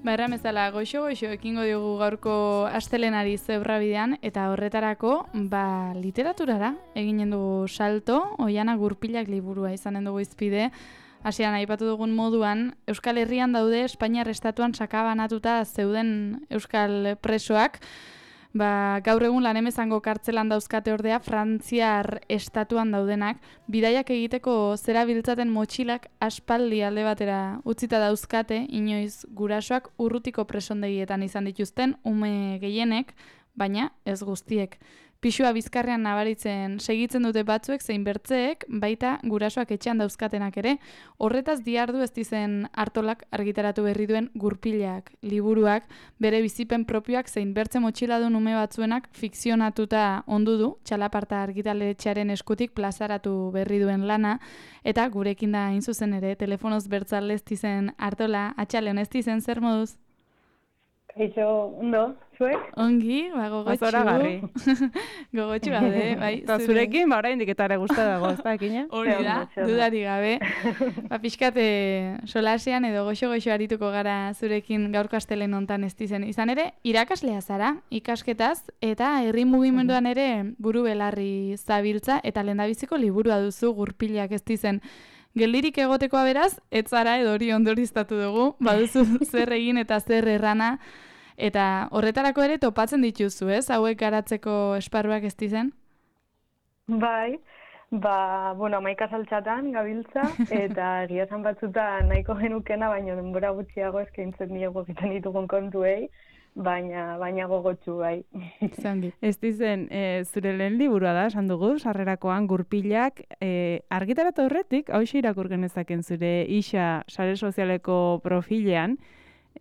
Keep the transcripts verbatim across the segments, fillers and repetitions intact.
Ba, erramezala, goxo-goxo ekingo diogu gaurko astelenari zebra bidean, eta horretarako, ba, literaturara eginen dugu salto, Oihana Gurpilak liburua izanen dugu izpide. Hasian aipatu dugun moduan, Euskal Herrian daude Espainiar estatuan sakabanatuta zeuden euskal presoak, ba, gaur egun Lanemezango kartzelan dauzkate ordea Frantziar estatuan daudenak, bidaiak egiteko zerabiltzaten motxilak aspaldi alde batera utzita dauzkate, inoiz gurasoak urrutiko presondegietan izan dituzten ume gehienek, baina ez guztiek. Pisua bizkarrean nabaritzen segitzen dute batzuek zein bertzeek, baita gurasoak etxean dauzkatenak ere, horretaz diardu ez dizen Artolak argitaratu berri duen Gurpilak liburuak, bere bizipen propioak zein bertze motxiladun ume batzuenak fikzionatuta ondu du, Txalaparta argitaletxearen eskutik plazaratu berri duen lana, eta gurekin da hain zuzen ere, telefonoz bertzale ez dizen Artola, atxaleon ez dizen, zer moduz? Kaixo, ondo, zuek? Ongi, ba, gogotxu. Zoragarri. Gogotxu gaude, bai. Eta zurekin, ba, orain diketare guzta dago, ez da, ekina? Hori da, dudari gabe. Ba, pixkate solasean edo goxo-goxo arituko gara zurekin gaurko astelen hontan ez dizen. Izan ere, irakaslea zara, ikasketaz, eta herri mugimenduan ere buru belarri zabiltza, eta lehendabiziko liburua duzu Gurpilak ez dizen. Geldirik egotekoa beraz, ez zara edo hori ondoriztatu dugu, baduzu zer egin eta zer errana, eta horretarako ere topatzen dituzu, ez? Hauek garatzeko esparruak ez dizen? Bai, ba, bueno, amaika saltxatan gabiltza, eta egia esan batzutan nahiko genukena, baina denbora gutxiago eskaintzen diego egiten ditugun kontuei, baina baina gogotsu bai. Zangi. Ez dizen, e, zure lehen liburua da, esan dugu, sarrerakoan Gurpilak, e, argitaratu horretik, hauxe irakur genezaken zure isa sare sozialeko profilean,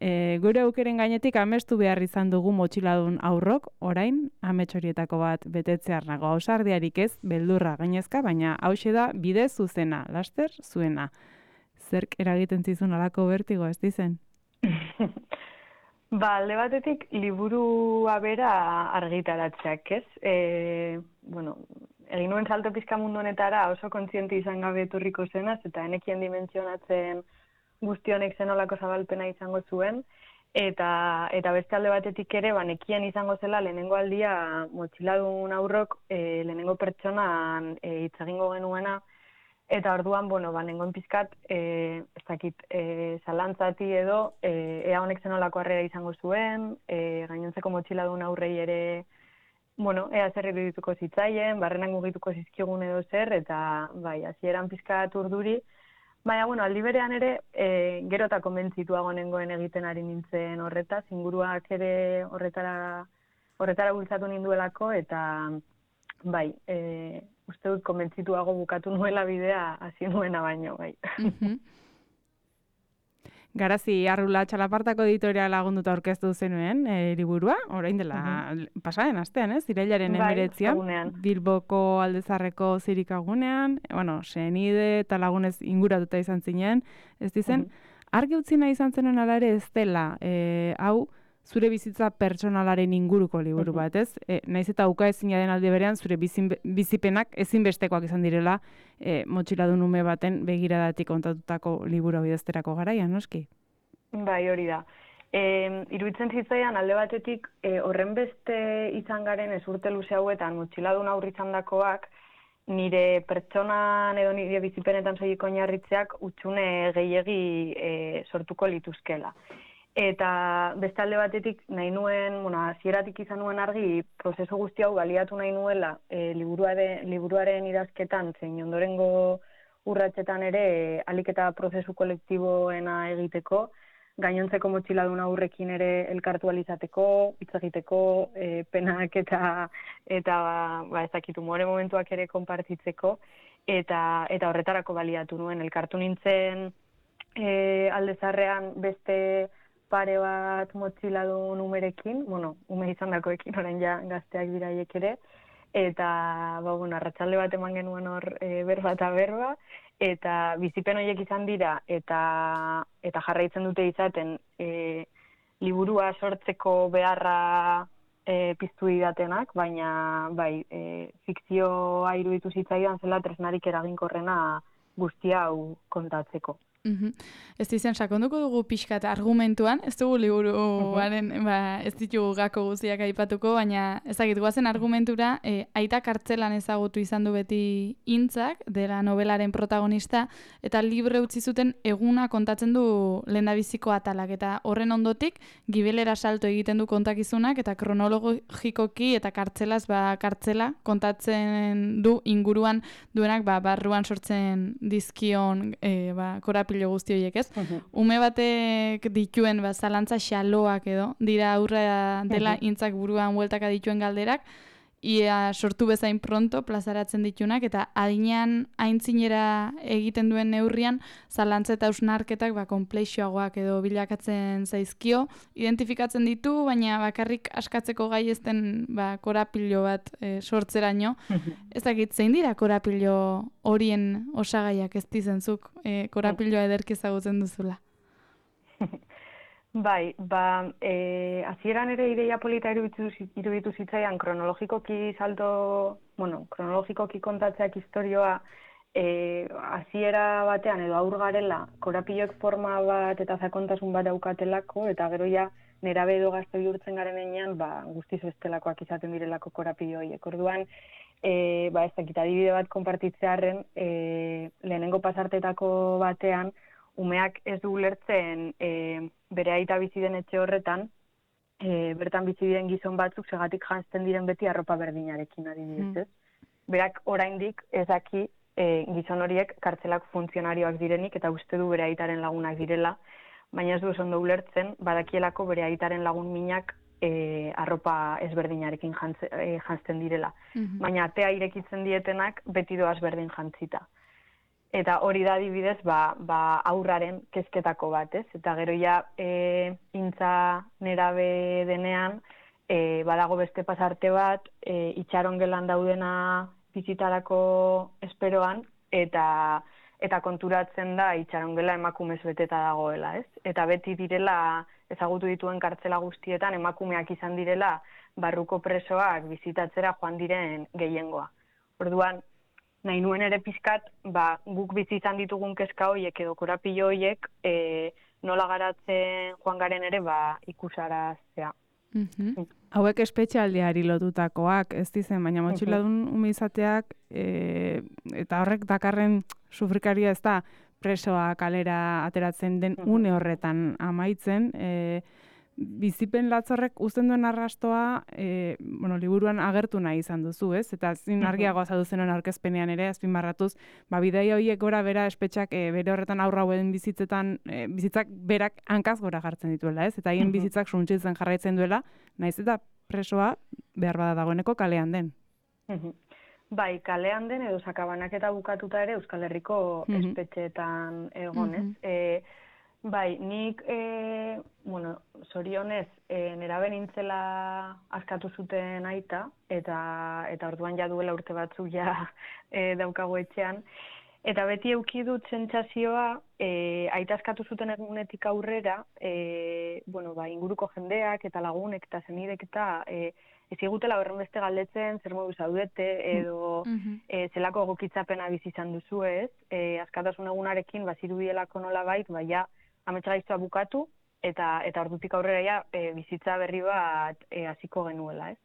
e, gure aukeren gainetik amestu behar izan dugu motxiladun aurrok, orain, amets horietako bat betetzear nago, ausardiarik ez, beldurra gainezka, baina hauxe da bide zuzena, laster zuena. Zerk eragiten zizun alako bertigo, ez dizen? Ba, alde batetik, liburua bera argitaratzeak, ez? E, bueno, egin nuen salto pizka mundu honetara oso kontziente izan gabe etorriko zenaz, eta enekien dimentsionatzen guztionek zenolako zabalpena izango zuen, eta eta beste alde batetik ere, ba, nekien izango zela lehenengo aldia motxiladun aurrok e, lehenengo pertsonan e, hitz egingo genuena, eta orduan, bueno, ba, nengoen pizkat, e, ez dakit, e, zalantzati edo, e, ea honek zenolako harrera izango zuen, e, gainontzeko motxiladun aurrei ere, bueno, ea zer irudituko zitzaien, barrenan mugituko zizkigun edo zer, eta bai, hasieran pizkat urduri, baina, bueno, aldi berean ere, e, gero eta konbentzituago nengoen egiten ari nintzen horretaz, inguruak ere horretara, horretara bultzatu ninduelako, eta bai, e, uste dut konbentzituago bukatu nuela bidea hasi nuena baino, bai. Mhm. Garazi, Arrula Txalapartako editoriala lagunduta aurkeztu zenuen e, liburua, orain dela uh-huh. pasaren astean, ez? Irailaren bai, emeretzian, egunean. Bilboko Aldezarreko zirikagunean, bueno, senide eta lagunez inguratuta izan zinen, ez dizen, uh-huh. argi utzi nahi izan zenuen ala ere ez dela, e, hau, zure bizitza pertsonalaren inguruko liburu bat, ez? E, naiz eta uka ezina den aldi berean, zure bizin, bizipenak ezinbestekoak izan direla e, motxiladun ume baten begiradatik kontatutako liburu bidezterako garaian, noski? Bai, hori da. E, iruditzen zitzaian alde batetik e, horren beste izan garen ez urte luze hauetan motxiladun aurri izandakoak nire pertsonan edo nire bizipenetan soilik oinarritzeak hutsune gehiegi e, sortuko lituzkela. Eta beste alde batetik nahi nuen, bueno, hasieratik izan nuen argi, prozesu guzti hau baliatu nahi nuela e, liburuare, liburuaren idazketan, zein ondorengo urratsetan ere e, ahalik eta prozesu kolektiboena egiteko, gainontzeko motxiladun aurrekin ere elkartu alizateko, hitz egiteko, e, penak eta eta ba, ez dakit umore momentuak ere konpartitzeko, eta eta horretarako baliatu nuen elkartu nintzen e, Aldezarrean beste pare bat motxiladun umerekin, bueno, ume izan dakoekin, orain ja gazteak diraiek ere, eta, ba, bueno, arratsalde bat eman genuen hor e, berba eta berba, eta bizipen horiek izan dira, eta eta jarraitzen dute izaten e, liburua sortzeko beharra e, piztu didatenak, baina, bai, e, fikzioa iruditu zitzaidan zela tresnarik eraginkorrena guztia hau kontatzeko. Mhm. Ez dizen, sakonduko dugu pixkat argumentuan, ez dugu liburuaren, ba, ez ditugu gako guztiak aipatuko, baina ezagit guazen argumentura, e, aita kartzelan ezagutu izan du beti Intzak, dela novelaren protagonista, eta libre utzi zuten eguna kontatzen du lehendabiziko atalak, eta horren ondotik, gibelera salto egiten du kontakizunak, eta kronologikoki eta kartzelaz, ba, kartzela kontatzen du inguruan duenak, ba, barruan sortzen dizkion, e, ba, korapilo guzti horiek, ez? Uh-huh. Ume batek dituen ba, zalantza xaloak edo, dira aurra dela uh-huh. Intzak buruan bueltaka dituen galderak, ia sortu bezain pronto plazaratzen ditunak, eta adinean aintzinera egiten duen neurrian, zalantza eta ausnarketak ba, konplexioagoak edo bilakatzen zaizkio, identifikatzen ditu, baina bakarrik askatzeko gai ezten ba, korapilo bat e, sortzeraino. Ez dakit, zein dira korapilo horien osagaiak ez dizenzuk, e, korapiloa ederki ezagutzen duzula? Bai, ba, e, hasieran ere ideia polita iruditu zitzaian kronologikoki salto, bueno, kronologikoki kontatzeak historioa e, hasiera batean edo aur garela korapilloek forma bat eta sakontasun bat daukatelako, eta gero ja nerabe edo gazte bihurtzen garen enean, ba, guztiz bestelakoak izaten direlako korapillo horiek. Orduan, e, ba, ez dakit adibide bat konpartitzearren, e, lehenengo pasartetako batean, umeak ez du ulertzen e, bere aita bizi den etxe horretan, e, bertan bizi diren gizon batzuk segatik janzten diren beti arropa berdinarekin adibidez, ez? Mm. Berak oraindik ez daki e, gizon horiek kartzelak funtzionarioak direnik eta uste du bere aitaren lagunak direla, baina ez du oso ondo ulertzen, badakielako bere aitaren lagun minak e, arropa ezberdinarekin jantze, e, janzten direla. Mm-hmm. Baina atea irekitzen dietenak beti doaz berdin jantzita. Eta hori da adibidez, ba, ba aurraren kezketako bat, ez? Eta gero ja e, Intza nerabe denean, e, badago beste pasarte bat, e, itxaron gelan daudena bizitarako esperoan, eta eta konturatzen da itxaron gela emakumez beteta dagoela, ez? Eta beti direla, ezagutu dituen kartzela guztietan, emakumeak izan direla barruko presoak bizitatzera joan diren gehiengoa. Orduan, nahi nuen ere pizkat, ba, guk bizi izan ditugun kezka horiek edo korapillo horiek e, nola garatzen joan garen ere ba, ikusaraztea. Mm-hmm. Mm. Hauek espetxealdiari lotutakoak, ez dizen, baina motxiladun mm-hmm. ume izateak e, eta horrek dakarren sufrikaria ez da presoa kalera ateratzen den mm-hmm. une horretan amaitzen, e, bizipen latzorrek uzten duen arrastoa, e, bueno, liburuan agertu nahi izan duzu, ez? Eta zin argiagoa zadu zenuen aurkezpenean ere, azpimarratuz, ba, bidaia horiek gora bera espetxak e, bere horretan aurra hauen bizitzetan, e, bizitzak berak hankaz gora jartzen dituela, ez? Eta haien bizitzak suntzitzen jarraitzen duela, naiz eta presoa behar bada dagoeneko kalean den. Bai, kalean den edo sakabanaketa bukatuta ere Euskal Herriko espetxeetan egonez. E, Bai, nik, e, bueno, zorionez, e, nerabe nintzela askatu zuten aita, eta eta orduan ja duela urte batzuk ja e, daukago etxean. Eta beti eduki dut sentsazioa, e, aita askatu zuten egunetik aurrera, e, bueno, ba, inguruko jendeak eta lagunek eta zenidek eta e, ez igutela horren beste galdetzen, zer modu zaudete, edo mm-hmm. e, zelako egokitzapena bizi izan duzu ez, e, askatasun egunarekin bazirudielako nola bait, baina ametsa gaiztoa bukatu, eta eta ordutik aurrera ja, e, bizitza berri bat e, hasiko genuela, ez?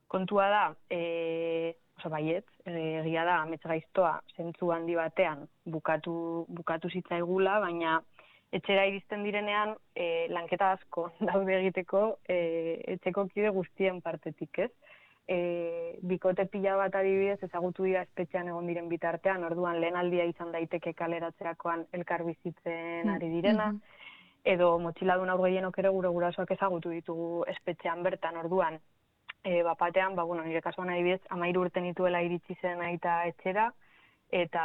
Kontua da, e, oso baiet, egia da, ametsa gaiztoa zentzu handi batean bukatu, bukatu zitzaigula, baina etxera iristen direnean e, lanketa asko daude egiteko e, etxeko kide guztien partetik, ez? E, bikote pila bat adibidez ezagutu dira espetxean egon diren bitartean, orduan lehen aldia izan daiteke kaleratzerakoan elkar bizitzen ari direna, mm-hmm. edo motxiladun aur gehienok ere gure gurasoak ezagutu ditugu espetxean bertan, orduan, e, bapatean, ba, bueno, nire kasuan adibidez, amairu urte nituela iritsi zen aita etxera, eta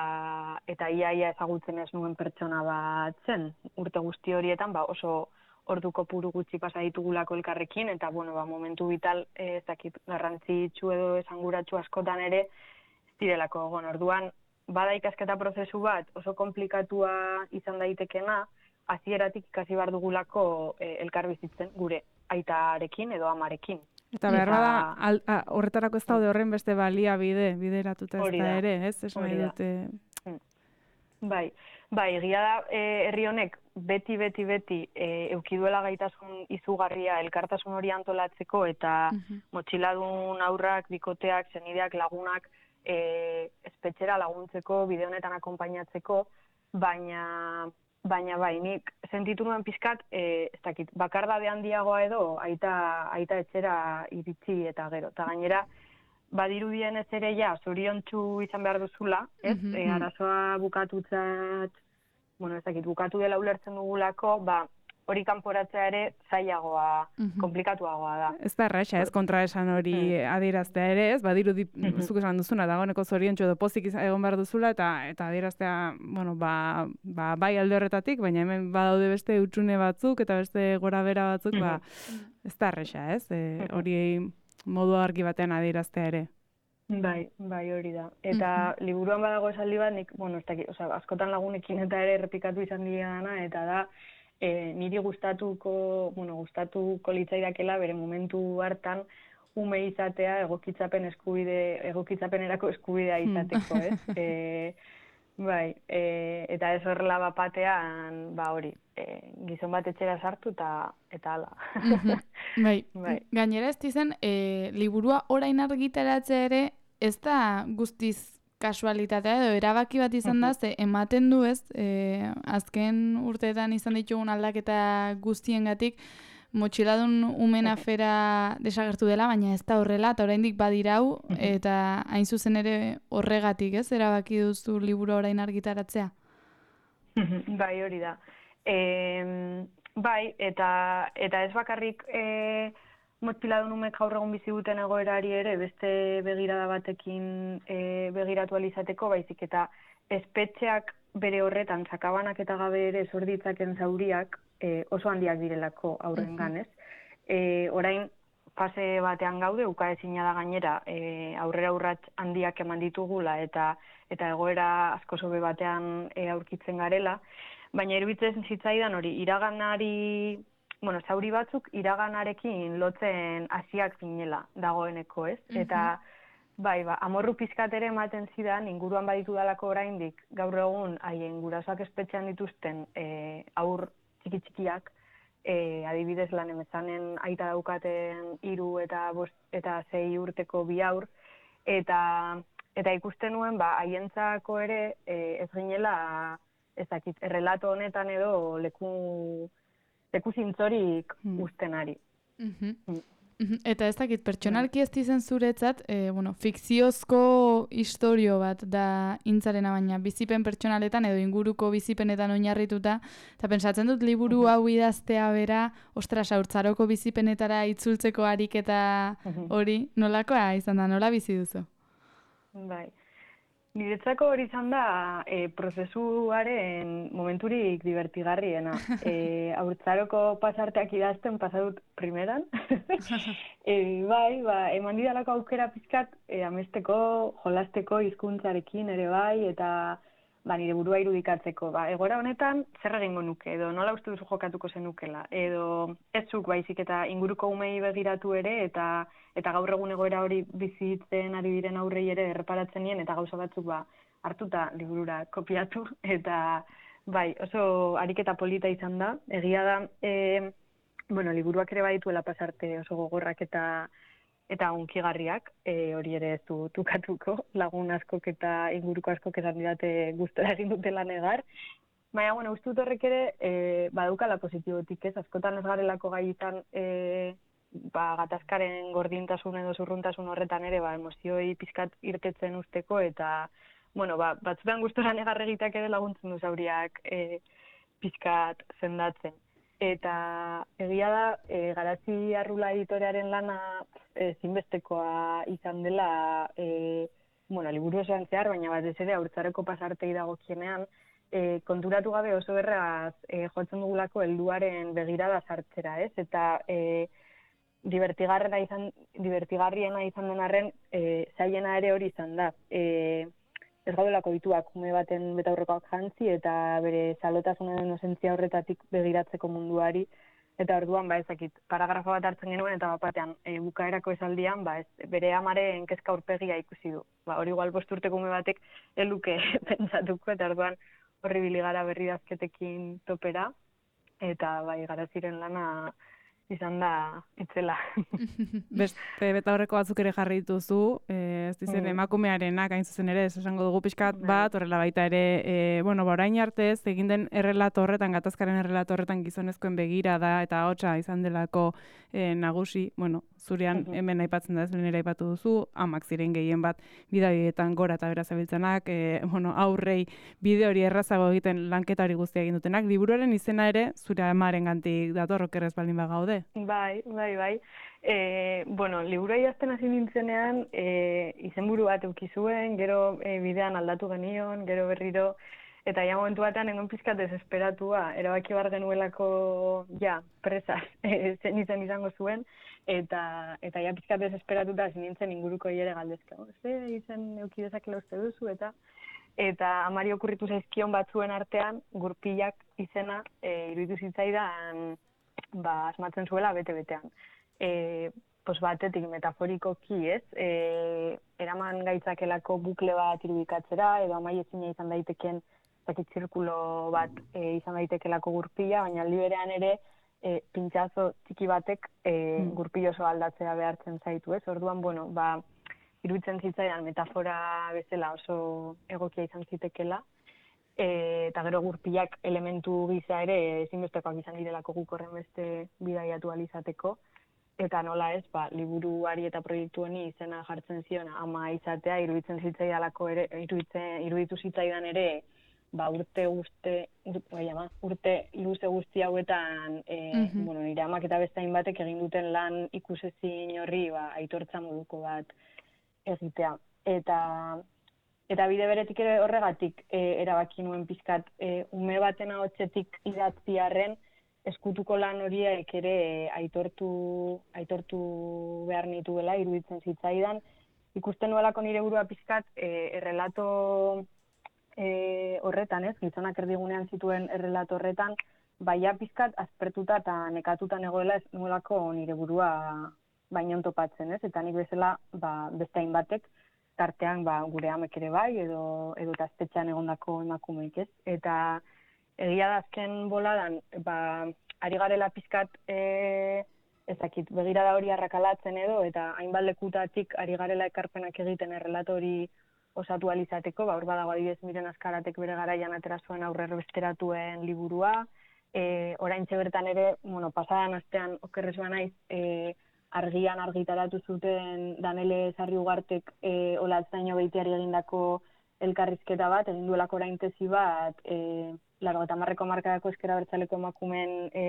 eta iaia ezagutzen ez nuen pertsona bat zen. Urte guzti horietan, ba, oso ordu kopuru gutxi pasa ditugulako elkarrekin, eta bueno, ba, momentu vital ez dakit garrantzitsu edo esanguratsu askotan ere ez direlako egon. Orduan, bada ikasketa prozesu bat oso komplikatua izan daitekena, hasieratik ikasi behar dugulako e, elkar bizitzen gure aitarekin edo amarekin. Eta behar bada, al, a, horretarako ez daude horren beste balia bide, bideratuta ez da ere, ez? Ez nahi dute... Bai, Ba, egia da, e, herri honek beti, beti, beti e, eukiduela gaitasun izugarria elkartasun hori antolatzeko eta Mhm. motxiladun aurrak, bikoteak, senideak, lagunak e, espetxera laguntzeko, bide honetan akonpainatzeko, baina baina bai, nik sentitu nuen pizkat, e, ez dakit, bakardade handiagoa edo aita, aita etxera iritsi eta gero. Eta gainera, badirudien ez ere ja, zoriontsu izan behar duzula, ez? Mhm. E, arazoa bukatutzat, bueno, ez dakit, bukatu dela ulertzen dugulako, ba, hori kanporatzea ere zailagoa, Mhm. komplikatuagoa da. Ez da erraxa, ez kontraesan hori Mm. adieraztea ere, ez? Badirudi Mhm. zuk esan duzuna, dagoeneko zoriontsu edo pozik izan- egon behar duzula, eta eta adieraztea, bueno, ba, ba, bai alde horretatik, baina hemen badaude beste hutsune batzuk eta beste gora bera batzuk, ba, ez da erraxa, ez? E, hori modu argi batean adieraztea ere. Bai, bai hori da. Eta liburuan badago esaldi bat, nik, bueno, ez dakit, osea, askotan lagunekin eta ere errepikatu izan didana, eta da, e, niri gustatuko, bueno, gustatuko litzaidakela bere momentu hartan ume izatea egokitzapen eskubide, egokitzapenerako eskubidea izateko, ez? E, bai, e, eta ez horrela bapatean, ba hori, e, gizon bat etxera sartu eta eta hala. Mhm. Bai. Bai. Gainera ez dizen, e, liburua orain argitaratzea ere ez da guztiz kasualitatea edo erabaki bat izan da, ze ematen du ez, e, azken urteetan izan ditugun aldaketa guztiengatik, motxiladun umen afera desagertu dela, baina ez da horrela, eta oraindik badirau, eta hain zuzen ere horregatik, ez, erabaki duzu liburu orain argitaratzea? Bai, hori da. E, bai, eta eta ez bakarrik e, motxiladun umek gaur egun bizi duten egoerari ere beste begirada batekin e, begiratu ahal izateko, baizik eta espetxeak bere horretan sakabanak eta gabe ere sor ditzaken zauriak e, oso handiak direlako aurrengan, ez? E, orain fase batean gaude, ukaezina da gainera, e, aurrera urrats handiak eman ditugula eta eta egoera asko sobe batean e, aurkitzen garela, baina iruditzen zitzaidan hori iraganari, bueno, zauri batzuk iraganarekin lotzen hasiak zinela dagoeneko, ez? Eta bai, ba, amorru pizkat ere ematen zidan, inguruan baditu dalako oraindik, gaur egun haien gurasoak espetxean dituzten e, aur txiki-txikiak, e, adibidez lan emezanen aita daukaten hiru eta bost eta sei urteko bi aur, eta eta ikusten nuen, ba, haientzako ere e, ez ginela, ez dakit, errelato honetan edo leku, leku zintzorik Hmm. ustenari. Mhm. Mm. Mhm. Eta ez dakit, pertsonalki ez dizen zuretzat, e, bueno, fikziozko istorio bat da intzarena, baina bizipen pertsonaletan edo inguruko bizipenetan oinarrituta, eta pentsatzen dut liburu hau idaztea bera, ostras, haurtzaroko bizipenetara itzultzeko ariketa hori, nolakoa izan da, nola bizi duzu? Bai. Niretzako hori izan da e, prozesuaren momenturik divertigarriena. E, haurtzaroko pasarteak idazten pasadut primeran. e, bai, ba, eman didalako aukera pizkat e, amesteko, jolasteko hizkuntzarekin ere bai, eta ba, nire burua irudikatzeko. Ba, egora honetan zer egingo nuke, edo nola uste duzu jokatuko zenukela, edo ez zuk baizik eta inguruko umei begiratu ere, eta eta gaur egun egoera hori bizitzen ari diren aurrei ere erreparatzen nien, eta gauza batzuk ba, hartuta liburura kopiatu, eta bai, oso ariketa polita izan da. Egia da, e, bueno, liburuak ere badituela pasarte oso gogorrak eta eta unkigarriak, e, hori ere ez du tukatuko, lagun askok eta inguruko askok esan didate gustora egin dutela negar. Baina, bueno, uste dut horrek ere e, badukala positibotik, ez? Askotan ez garelako gai izan e, ba, gatazkaren gordintasun edo zurruntasun horretan ere, ba, emozioi pizkat irtetzen usteko, eta, bueno, ba, batzutan gustora negar egiteak ere laguntzen du zauriak e, pizkat sendatzen. Eta egia da, e, Garazi Arrula editorearen lana e, zinbestekoa izan dela, e, bueno, liburu osoan zehar, baina batez ere haurtzaroko pasartei dagokienean, e, konturatu gabe oso erraz e, jotzen dugulako helduaren begirada sartzera, ez? Eta e, divertigarriena izan, divertigarriena izan den arren, e, zailena ere hori izan da. E, ez gaudelako dituak ume baten betaurrekoak jantzi eta bere salotasunen inozentzia horretatik begiratzeko munduari, eta orduan, ba, ezakit, paragrafo bat hartzen genuen, eta batean, e, bukaerako esaldian, ba, ez, bere amaren kezka aurpegia ikusi du. Ba, hori igual bost urteko ume batek eluke pentsatuko, eta orduan, horri biligara berri dazketekin topera, eta bai, garaziren lana izan da itzela. Beste beta horreko batzuk ere jarri dituzu, eh, ez dizen Mm. emakumearenak hain zuzen ere, ez esango dugu pixkat bat, horrela baita ere, eh, bueno, ba, orain arte ez, egin den errelato horretan, gatazkaren errelato horretan gizonezkoen begirada eta hotsa izan delako eh, nagusi, bueno, zurean Mhm. hemen aipatzen da ez, lehen ere aipatu duzu, amak ziren gehien bat bidaietan gora eta bera zabiltzanak, eh, bueno, aurrei bide hori errazago egiten lanketa hori guztia egin dutenak. Liburuaren izena ere, zure amaren gantik dator okerrez baldin bagaude. Bai, bai, bai. E, bueno, liburua idazten hasi nintzenean, e, izenburu bat eduki zuen, gero e, bidean aldatu genion, gero berriro, eta ja momentu batean nengoen pizkat desesperatua, erabaki bar genuelako, ja, presaz, e, zen izen izango zuen, eta eta ja pizkat desesperatuta hasi nintzen inguruko ere galdezka. Ze izen eduki dezakela uste duzu, eta eta amari okurritu zaizkion batzuen artean, Gurpilak izena e, iruditu zitzaidan, ba, asmatzen zuela bete-betean. E, pos batetik metaforikoki, ez? E, eraman gaitzakelako bukle bat irudikatzera, edo amai ezina izan daiteken zakit zirkulo bat e, izan daitekelako gurpila, baina aldi berean ere e, pintxazo txiki batek e, Mm. gurpil oso aldatzea behartzen zaitu, ez? Orduan, bueno, ba, iruditzen zitzaidan metafora bezala oso egokia izan zitekela, E, eta gero gurpilak elementu gisa ere ezinbestekoak izan direlako guk horren beste bidaiatu alizateko. Eta nola ez, ba, liburuari eta proiektu honi izena jartzen zion ama izatea, iruditzen zitzaidalako ere, iruditzen, iruditu zitzaidan ere, ba, urte guzte, urte, ama, urte luze guzti hauetan, e, Mhm. bueno, nire amak eta beste hainbatek egin duten lan ikusezin horri, ba, aitortza moduko bat egitea. Eta Eta bide beretik ere horregatik e, erabaki nuen pizkat e, ume baten ahotsetik idatziarren eskutuko lan horiek ere e, aitortu aitortu behar nituela iruditzen zitzaidan. Ikusten nuelako nire burua pizkat e, errelato e, horretan, ez, gizonak erdigunean zituen errelato horretan, baina pizkat aspertuta eta nekatuta negoela ez nuelako nire burua bainon topatzen, ez? Eta nik bezala ba, beste hainbatek tartean ba, gure amek ere bai, edo, edo gaztetxean egondako emakumeik, ez? Eta egia da azken boladan, ba, ari garela pizkat, e, ezakit, begirada hori arrakalatzen edo, eta hainbat lekutatik ari garela ekarpenak egiten errelato hori osatu alizateko, ba, hor badago adibidez Miren Azkaratek bere garaian atera zuen aurrero besteratuen liburua, e, oraintxe bertan ere, bueno, pasadan astean okerrez banaiz, e, argian argitaratu zuten Danele Sarriugartek e, Olatzaino Beitiari egindako elkarrizketa bat, egin duelako orain tesi bat, e, laurogeita hamarreko hamarkadako ezker abertzaleko emakumeen e,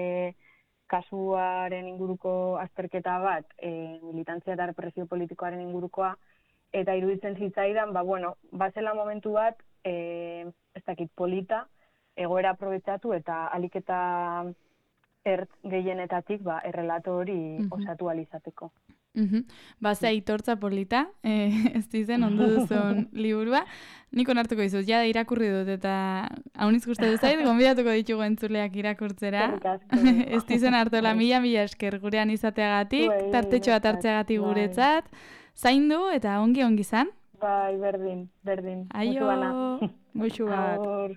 kasuaren inguruko azterketa bat, e, militantzia eta represio politikoaren ingurukoa, eta iruditzen zitzaidan, ba, bueno, bazela momentu bat, e, ez dakit polita, egoera aprobetxatu eta alik eta ertz gehienetatik ba, errelato hori Mhm. osatu alizateko. Mhm. Ba, ze aitortza polita, eh, ez dizen ondo duzun liburua. Nik onartuko dizut, ja irakurri dut eta hauniz gustatu zait, gonbidatuko ditugu entzuleak irakurtzera. Eskerrik asko. Ez dizen hartola mila mila esker gurean izateagatik, Bai, tartetxo bat hartzeagatik bai. guretzat. Zaindu eta ongi ongi zan. Bai, berdin, berdin. Aio! Musu bana. Goixu bat. Agur.